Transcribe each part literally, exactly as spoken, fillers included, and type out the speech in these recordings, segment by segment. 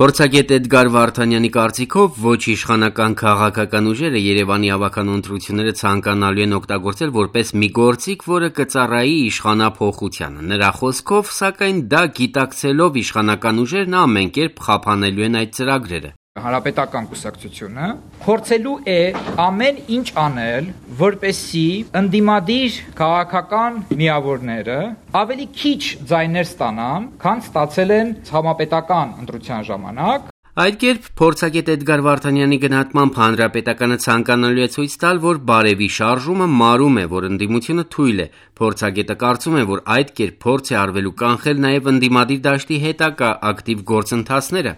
Փորձագետ Էդգար Վարդանյանի կարծիքով ոչ իշխանական քաղաքական ուժերը Երևանի ավականու ընտրությունները ցանկանալու են օգտագործել որպես մի գործիք, որը կծառայի իշխանափոխությանը։ Նրա խոսքով, սակայն դա գիտակցելով իշխանական ուժերն ամեն կերպ խափանելու են այդ ծրագրերը։ Հանրապետական կուսակցությունը փորձելու է ամեն ինչ անել, որպեսզի ընդդիմադիր քաղաքական միավորները ավելի քիչ ձայներ ստանան, քան ստացել են համապետական ընտրության ժամանակ։ Այդ կերպ փորձագետ Էդգար Վարդանյանի գնահատմամբ հանրապետականը ցանկանալու է ցույց տալ, որ բարևի շարժումը մարում է, որ ընդդիմությունը թույլ է։ Փորձագետը կարծում է, որ այդ կերպ փորձ է արվելու կանխել նաև ընդդիմադիր դաշտի հետագա ակտիվ գործընթացները։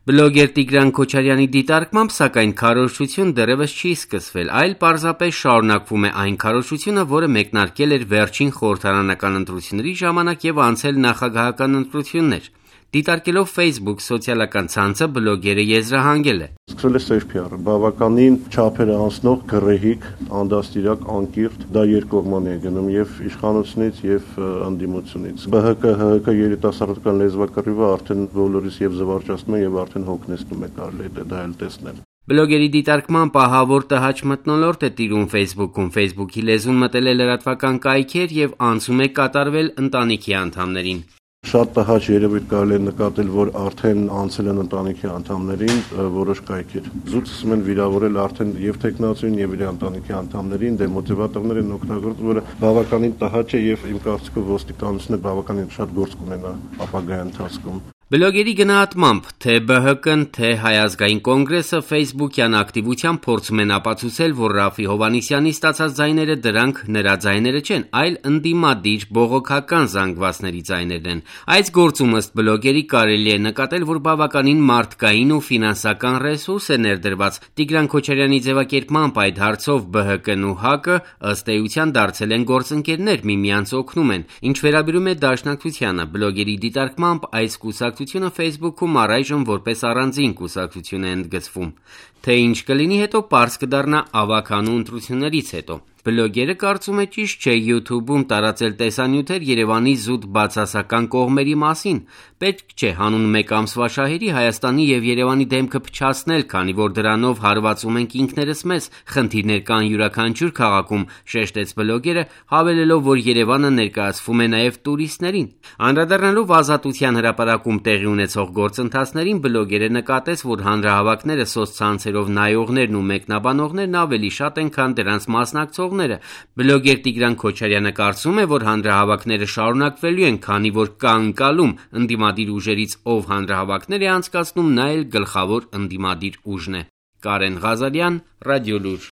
Բլոգեր Տիգրան Քոչարյանի դիտարկմամբ, սակայն քարոզչություն դեռևս չի սկսվել, այլ պարզապես շարունակվում է այն քարոզչությունը, որը մեկնարկել էր վերջին խորհրդարանական ընտրությունների ժամանակ եւ անցել նախագահական ընտրություններ։ Դիտարկելով Facebook սոցիալական ցանցը, բլոգերը եզրահանգել է. Սկսել է սև փի ար, բավականին չափերը անցնող գռեհիկ, անդաստիրակ, անկիրթ, դա երկկողմանի է գնում եւ իշխանությունից եւ ընդդիմությունից։ Բ Հ Կ Հ Հ Կ երիտասարդական լեզվակռիվը արդեն բոլորիս եւ զվարճացնում է եւ արդեն հոգնեցնում է, կարելի է դա էլ տեսնել։ Բլոգերի դիտարկմամբ ահավոր տհաճ մթնոլորտ է տիրում Facebook-ում, Facebook-ի լեզուն մտել է լրատվական կայքեր եւ անցում է կատարվել ընտանիքի անդամներին։ Շատ տհաճ երևույթ կարելի է նկատել, որ արդեն անցել են ընտանիքի անդամներին որոշ կայքեր։ Զուտ սկսում են վիրավորել արդեն եւ տեխնացուին եւ իր ընտանիքի անդամներին, դեմոտիվատորներ են օգտագործում, որը բավականին տհաճ է եւ իմ կարծիքով ոստիկանությունը բավականին շատ գործ կունենա ապագայի ընթացքում։ Բլոգերի գնահատմամբ, թե Բ Հ Կ-ն, թե Հայ ազգային կոնգրեսը Facebook-յան ակտիվությամբ փորձում են ապացուցել, որ Ռաֆի Հովհաննիսյանի ստացած ձայները դրանք նրա ձայները չեն, այլ ընդդիմադիր բողոքական զանգվածների ձայներն են։ Այս գործում ըստ բլոգերի կարելի է նկատել, որ բավականին մարդկային ու ֆինանսական ռեսուրս է ներդրված։ Տիգրան Քոչարյանի ձևակերպմամբ այդ հարցով Բ Հ Կ-ն ու Հ Կ ըստ էության դարձել են գործընկերներ, միմյանց օգնում են։ Ինչ վերաբերում է Դաշնակցությանը, բլոգերի դիտարկմամբ այս կուսակցությունը Facebook-ում առայժմ որպես առանձին կուսակցություն է ընդգծվում։ Թե ինչ կլինի հետո, պարզ կդառնա ավականու ընտրություններից հետո։ Բլոգերը կարծում է ճիշտ չէ YouTube-ում տարածել տեսանյութեր Երևանի զուտ բացասական կողմերի մասին։ Պետք չէ հանուն մեկ ամսվա շահերի Հայաստանի եւ Երևանի դեմքը փչացնել, քանի որ դրանով հարվածում ենք ինքներս մեզ, խնդիրներ կան յուրաքանչյուր քաղաքում, շեշտեց բլոգերը, հավելելով, որ Երևանը ներկայացվում է նաեւ տուրիստներին։ Անդրադառնալով Ազատության հրապարակում տեղի ունեցող գործընթացներին, բլոգերը նկատեց, որ հանրահավաքները սոցցանցերով նայողներն ու մեկնաբանողներն ավելի շատ են, քան դրանց մասնակցողները։ Բլոգեր Տիգրան Քոչարյանը կարծում է, որ հանրահավաքները շարունակվելու են, քանի որ կա ընկալում ընդդիմադիր ուժերից, ով հանրահավաքներ է անցկացնում, նա էլ գլխավոր ընդդիմադիր ուժն է։ Կարեն Ղազարյան, Ռադիոլուր։